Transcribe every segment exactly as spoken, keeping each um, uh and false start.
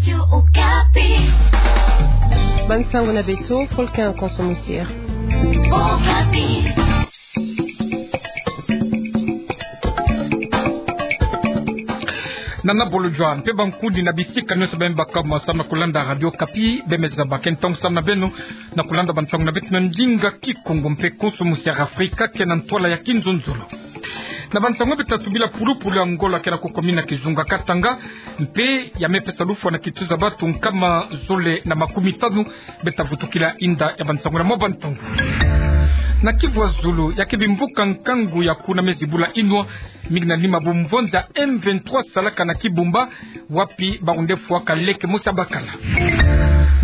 Radio Okapi. Bansango na beto, Volcan Konso Musier. Okapi. Nana bolo jua, mpe bankundi na bisika nyonso beno baka mo samu na kulanda Radio Okapi, beno me zaba ke ntangu samu na beno na kulanda bansango na beto na ndinga Kikongo mpe Konso Musier Afrika, ke na ntwala ya kinzonzolo. Na bansango beto tatu bila pulupulu ya Angola ke na kukomina kizunga Katanga, mpe ya me pesa lufwa na kituza bantu nkama zole na makumi tanu, beto ta vutukila inda ya bansango na mwa bansango. Na Kivu ya Zulu, ya ke bimvuka nkangu ya kuna mezi bula inwa, mingi na nima bumvonza M vingt-trois salaka na Kibumba, wapi bawu nde fwaka leke mosi ya bakala.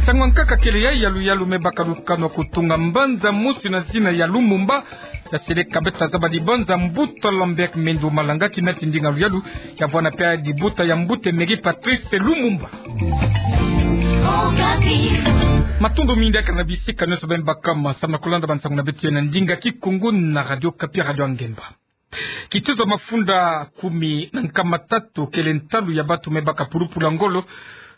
Nsangu ya nkaka kele yayi: yaluyalu me baka lukanu ya kutunga mbanza mosi na zina ya Lumumba, ya seleka beto ta zaba dibanza mbuta Lambert Mende Malanga, kina ti ndinga luyalu, ya vwanda mpe dibuta ya mbuta Emery Patrice Lumumba. Matondo mingi ya kaka na bisika nyonso beno baka mo samu na kulanda bansango na beto na ndinga Kikongo na Radio Okapi, Radio ya Ngemba. Kituza mafunda kumi na nkama tatu kele ntalu ya bantu me baka pulupulu ya ngolo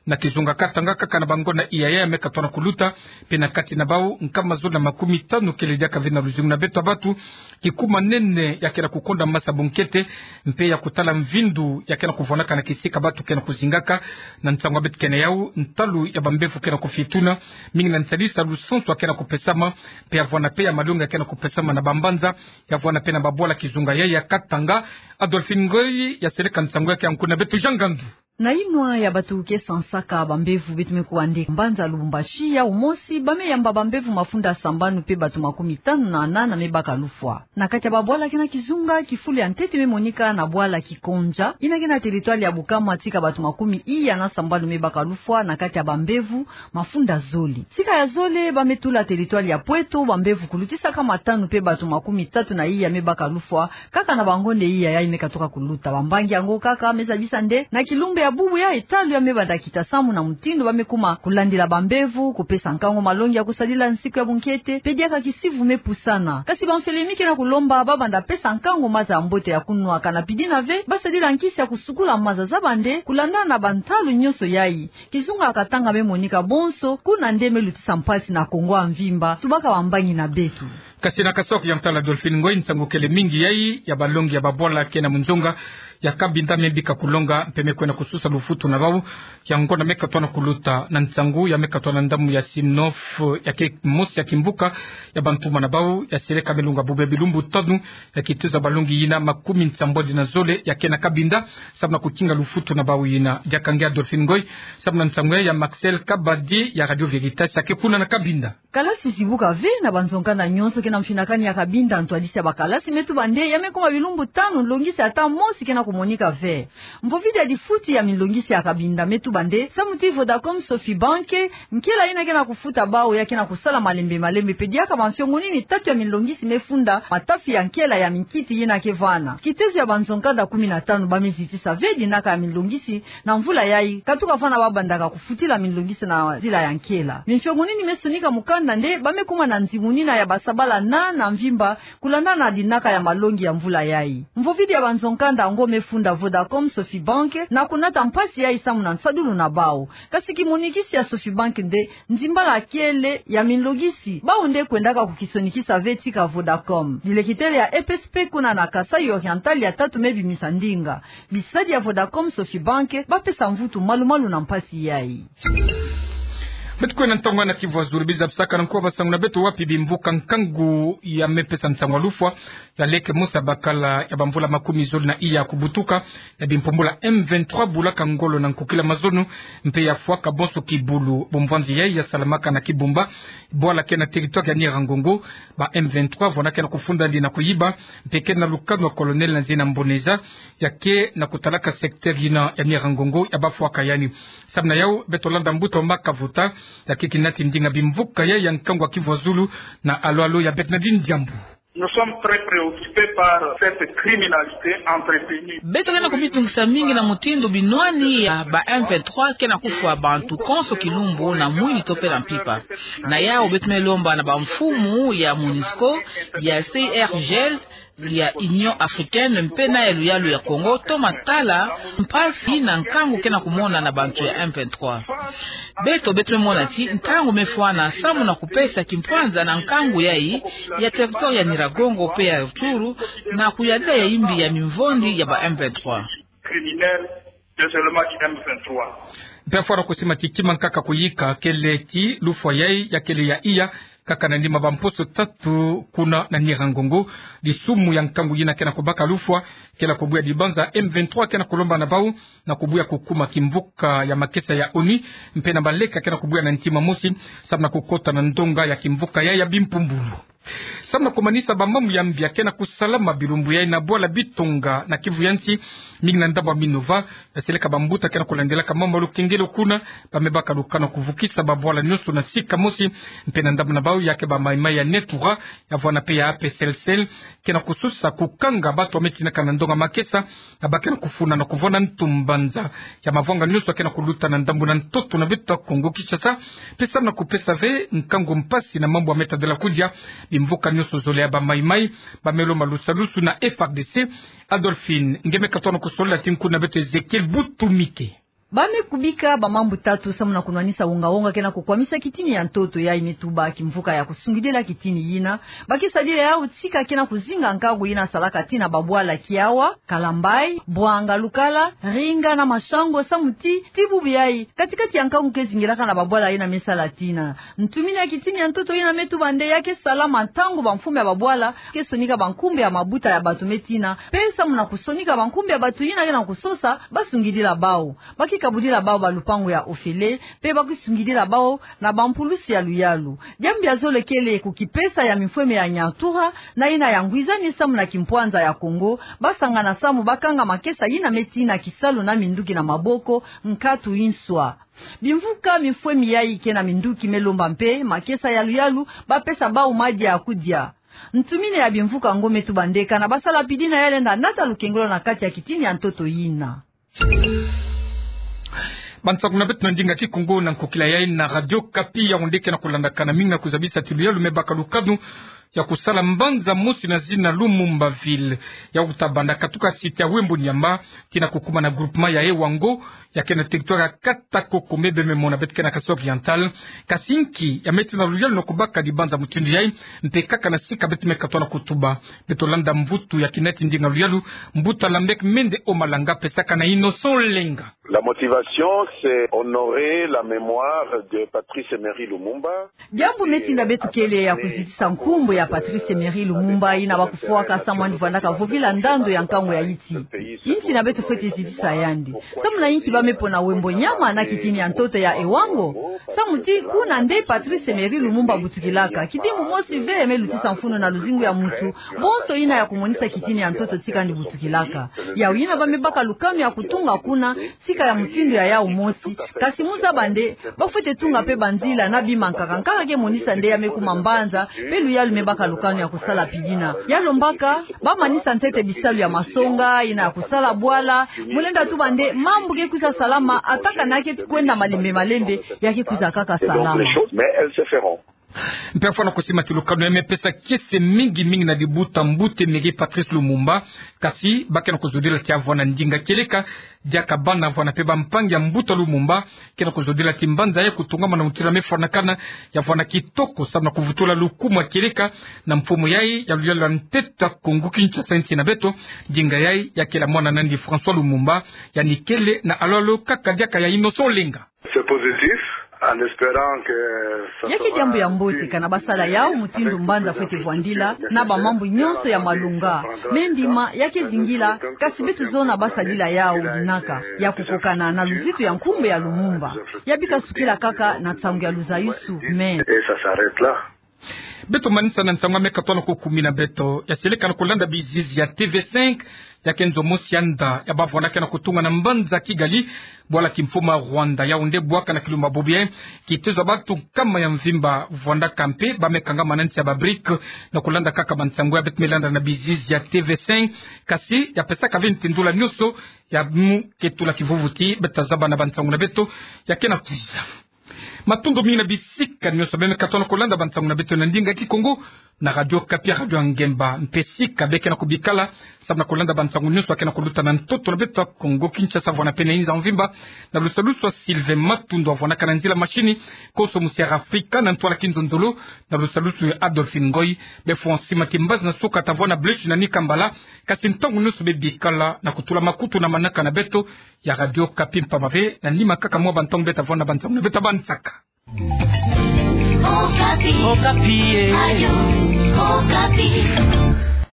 na kizunga Katanga, kaka na bangonda iya ya me katuka na kuluta, mpe na kati na bawu nkama zole na makumi tanu kele diaka ve na luzingu na beto ya bantu. Kikuma nene ya ke na kukonda masa bunkete, mpe ya kutala mvindu ya ke na kuvwanaka na kisika bantu ke na kuzingaka. Na nsangu ya beto ke na yawu, ntalu ya bambevo ke na kufituna, mingi na nsalisa lusansu ya ke na kupesama, mpe ya vwanda mpe ya malongi ya ke na kupesama na bambanza, ya vwanda mpe na babwala kizunga yayi ya Katanga. Adolphine Ngoy ya seleka nsangu ya ke ya nkuna beto Jean Ngandu. Na inwa ya bantu ke sansaka bambevo, beto me kuwa nde mbanza Lubumbashi, yawu mosi ba me yamba bambevo mafunda sambanu mpe bantu makumi tanu na nana me baka lufwa. Na kati ya babwala ke na kizunga, kifulu ya ntete me monika na bwala Kikonja, yina ke na territoire ya Bukama, tika bantu makumi iya na sambanu me baka lufwa na kati ya bambevo mafunda zole. Tika ya zole ba me tula territoire ya Pweto, bambevo kulutisaka matanu mpe bantu makumi tatu na iya me baka lufwa, kaka na bangonda iya yayi me katuka kuluta. Bambangi yango kaka me zabisa nde na kilumbu ya bubu yayi, ntalu ya me banda kita samu na mutindu ba me kuma kulandila bambevo, kupesa nkangu malongi ya kusadila nsiku ya bunkete, mpe diaka kisivu me pusana. Kasi bamfele mingi ke na kulomba ba banda pesa nkangu maza ya mbote ya kunwaka, na pidina ve ba sadila nkisi ya kusukula maza za bande. Kulandana na bantalu nyonso yayi, kizunga ya Katanga me monika bonso, kuna nde me lutisa mpasi na Kongo ya mvimba, tubaka bambangi na beto. Kasi na Kasaï Oriental, Adolphine Ngoy, nsangu kele mingi yayi ya balongi ya babwala ke na munzonga ya Cabinda me bika kulonga, mpe me kwenda kususa lufutu na bawu. Yango na me katuka na kuluta na nsangu ya me katuka na ndambu ya Sinop, ya ke mosi ya kimvuka ya bantu ma na bawu, ya seleka me longa bobia bilumbu tanu ya kituza balongi yina makumi nsambwadi na zole ya ke na Cabinda, samu na kukinga lufutu na bawu yina. Diaka nge Adolphine Ngoy, samu na nsangu ya Marcel Kabadi ya Radio Veritas, ya ke kuna na Cabinda. Kalasi zibuka ve na banzo-nkanda nyonso ke na mfinakani ya Cabinda. Ntwadisi ya bakalasi me tuba nde ya me kuma bilumbu tanu nlongisi ata mosi ke na kumonika ve. Mpovidi ya difuti ya minlongisi ya Cabinda me tuba nde samu ti Vodacom, Sofibank, nkela yina ke na kufuta bawu ya ke na kusala malembe malembe, mpe diaka bamfiongo nini tatu ya minlongisi me funda matafi ya nkela ya minkiti yina ke vana. Kitezo ya banzo-nkanda kumi na tanu ba me zitisa ve dinaka ya minlongisi na mvula yayi, katuka vana ba bandaka kufutila minlongisi na nzila ya nkela. Mifiongo nini me sonika mukanda nde ba me kuma na nzimunina ya basabala na, na mvimba, kulandana na dinaka ya malongi ya mvula yayi. Mpovidi ya banzo-nkanda yango me funda Vodacom, Sofibank na kunata mpasi yayi samu na nsadulu na bawu. Kasi kimonikisi ya Sofibank nde nzimbala kele ya minlongisi bawu nde kwendaka kukisonikisa ve tika Vodacom. Dilekitele ya E P S P kuna na Kasaï Oriental ya tatu me bimisa ndinga. Bisadi ya Vodacom, Sofibank ba pesa mvutu malu-malu na mpasi yayi. Beto kwenda ntangu na Kivu ya Zulu, biza bisaka na nkuwa bansangu na beto wapi bimvuka nkangu ya me pesa nsangu ya lufwa ya leke mosi ya bakala ya bamvula makumi zole na iya kubutuka, ya bimpumbula M vingt-trois bulaka ngolo na nkukila mazono, mpe ya fwaka bonso kibulu. Bomvwanzi yayi ya salamaka na Kibumba, bwala ke na territoire ya Nyiragongo. Ba M vingt-trois vwanda ke na kufunda ndi na kuyiba, mpe ke na lukanu ya colonel na zina Mboneza, ya ke na kutalaka secteur yina ya Nyiragongo ya bafwaka yandi. Samu na yawu, beto landa mbuta Omar Kavota, ya ke kina ti ndinga bimvuka yayi ya nkangu ya Kivu ya Zulu na alo-alo ya Bernardine Diambu. Nous sommes très préoccupés par cette criminalité entretenue. Beto ke na kumitungisa mingi na mutindu binwani ya ba M vingt-trois ke na kufwa bantu konso kilumbu na mwini to pe na mpimpa. Na yawu beto me lomba na bamfumu ya MONUSCO, ya C I R G L, ya Union Africaine mpe na ya luyalu ya Congo toma tala mpasi na nkangu ke na kumona na bantu ya M vingt-trois. Beto, beto me mona ti ntangu me fwana samu na kupesa kimpwanza na nkangu yayi ya territoire ya Nyiragongo mpe ya Rutshuru na kuyadila ya imbi ya mimvondi ya ba M vingt-trois. Criminel, désolement du M vingt-trois. Mpe fwana kusima ti kima nkaka kuyika kele ti lufwa yayi ya kele ya iya kaka na nima bamposo tatu kuna na Nyiragongo. Disumu ya nkangu yina ke na kubaka lufwa kele kubuya dibanza M vingt-trois ke na kulomba na bawu na kubuya kukuma kimvuka ya makesa ya ONU, mpe na baleka ke na kubuya na ntima mosi samu na kukota na ndonga ya kimvuka ya, ya bimpumbulu. Samu na kumanisa bamambu ya mbi ya ke na kusalama bilumbu yayi na bwala Bitonga na Kivu ya nsi, mingi na ndambu ya Minova, na seleka bambuta ke na kulandilaka mambu ya lukengelo kuna, ba me baka lukanu ya kuvukisa babwala nyonso na sika mosi, mpe na ndambu na bawu ya ke ba maimai ya Netura, ya vwanda mpe ya A P C L C L, ke na kusosa kukanga bato ba me tinaka na ndonga makesa, na ba ke na kufuna na kuvwanda ntu mbanza ya mavwanga nyonso ke na kuluta na ndambu na ntoto na beto ya Kongo Kinshasa, mpe samu na kupesa ve nkangu mpasi na mambu ya me tadila kudia bimvuka nyonso zole ya ba maimai, ba me lomba lusalusu na F R D C. Adolphine Ngemeka tona kusolila ti nkundu na beto Ezekiel Butumike. Ba me kubika bamambu tatu samu na kunwanisa wonga-wonga ke na kukwamisa kitini ya ntoto yayi me tuba kimvuka ya kusungidila kitini yina. Ba ke sadila yawu tika ke na kuzinga nkangu yina salaka tii na babwala Kiawa, Kalambayi, Bwanga Lukala, Ringa na Mashango samu ti, ti bubu yayi, kati-kati ya nkangu ke zingilaka na babwala yina me sala tii na. Ntumini ya kitini ya ntoto yina me tuba nde ya ke salama ntangu bamfumu ya babwala ke sonika bankumbu ya mabuta ya bato me tii na, mpe samu na kusonika bankumbu ya bato yina ke na kusosa, ba sungidila bawu. Ba ke kabudila bawu balupangu ya ofele, mpe ba ke sungidila bawu na bampulusi ya luyalu. Diambu ya zole kele kukipesa ya mifweme ya Nyatura, na yina ya ngwizani samu na kimpwanza ya Kongo, ba sangana samu ba kanga makesa yina me tii na kisalu na minduki na maboko, nkatu inswa. Bimvuka mifwemi yayi ke na minduki me lomba mpe makesa ya luyalu, ba pesa bawu madia ya kudia. Ntumini ya bimvuka ngo me tuba nde kana ba sala pidina ya lenda nata lukengelo na kati ya kitini ya ntoto yina. Bansangu na beto na ndinga Kikongo na nkokila yayi na Radio Okapi, yawu nde ke na kulandakana mingi na kuzabisa ti luyalu me baka lukanu ya kusala mbanza mosi na zina Lumumba Ville. Yawu ta banda katuka site ya Wembo Niamba tii na kukuma na groupement ya Ewango, ya ke na territoire ya Kata Kokombe, bembe mona beto ke na Kasaï Oriental. Kasi nki ya me tii na luyalu na kubaka dibanza mutindu yayi, mpe kaka na sika beto me katuka na kutuba. Beto landa mvutu ya kinati ndinga luyalu, mbuta Lambek Mende Omalanga pesaka na Innocent Lenga. La motivation, c'est honorer la mémoire de Patrice Emery Lumumba. Diambu me tinda beto kele ya kuzitisa nkumbu ya Patrice Emery Lumumba, yina ba kufwaka samu yandi vwandaka vovila ndandu ya nkangu ya insi. Insi na beto fwete zitisa yandi. Samu na inki ba me pona Wembo Niamba na kitini ya ntoto ya Ewango? Samu ti kuna nde Patrice Emery Lumumba butukilaka. Kidimbu mosi ve me lutisa mfunu na luzingu ya muntu bonso yina ya kumonisa kitini ya ntoto tika yandi butukilaka. Yawu yina ba me baka lukanu ya kutunga kuna, tika ya mutindu ya yawu mosi, kasi mu zaba nde ba fwete tunga mpe banzila na bima nkaka nkaka ke monisa nde ya me kuma mbanza, mpe luyalu me baka lukanu ya kusala pidina. Ya lombaka ba manisa ntete bisalu ya masonga, yina ya kusala bwala, mu lenda tuba nde mambu ke kwiza salama, ata kana ke kwenda malembe malembe, ya ke kwiza kaka salama. Mais elles se feront. Mpe fwana kusima ti lukanu ya me pesa kiese mingi mingi na dibuta mbuta Emery Patrice Lumumba, kasi ba ke na kuzodila ti ya vwanda ndinga kieleka, diaka bana vwanda mpe bampangi ya mbuta Lumumba, ke na kuzodila ti mbanza ya kutungama na mutindu ya me fwanakana, ya vwanda kitoko samu na kuvutula lukumu kieleka na mfumu yayi ya luyalu ya ntete ya Kongo Kinshasa, insi na beto. Ndinga yayi ya kela mwana nandi François Lumumba, yandi kele na alolo kaka diaka ya Innocent Lenga. C'est positif, en espérant que ça sera suivi. Ya ke diambu ya mbote kana ba sala yawu mutindu mbanza fwete vwandila, na bamambu nyonso ya malonga. Me ndima ya ke zingila, kasi beto zona ba sadila yawu dinaka, ya kukokana na luzitu ya nkumbu ya Lumumba. Ya bika sukila kaka na nsangu ya luzayusu, mais. Et ça s'arrête là. Beto manisa na nsangu ya mekatwa na ko kumi na beto. Ya seleka na kolanda bizizi ya T V cinq, ya ke nzo mosi ya nda, ya bavwanda ke na kotunga na mbanza Kigali, bwala kimfumu ya Rwanda, Yaoundé, bwaka na kilumbu ya Bobi, eh, kitezo ya bantu nkama ya mvimba vwandaka mpe, ba mekangama na nsi ya ba BRICS, na kolanda kaka bansangu ya beto melanda na bizizi ya T V cinq, kasi ya pesaka ve ntindula nyonso, ya mu ke tula kivuvuti, beto tazaba na bansangu na beto ya ke na kwiza. Matondo mingi na bisika nyonso beno me katona kolanda bansangu na beto na ndinga Kikongo, na Radio Okapi, Radio ya Ngemba. Mpe sika beno ke na kobikala, samu na kolanda bansangu nyonso ya ke na koluta na ntoto na beto ya Kongo Kinshasa, vwanda mpe na inza mvimba, na lusalusu ya Sylvain Matundu, vwandaka na nzila mashini, konso mu Sierra Africa, na ntwala kinzonzolo, na lusalusu ya Adolphine Ngoy, be fwa nsi mati mbazi na suka tavwanda Blaise na Nikambala, kasi ntangu nyonso beno bikala na kotula makutu na manaka na beto ya Radio Okapi mpamba ve na nima kaka mwa bantangu beto tavwanda na bansangu na beto ya bansaka. Okapi. Okapi, eh. Radio Okapi.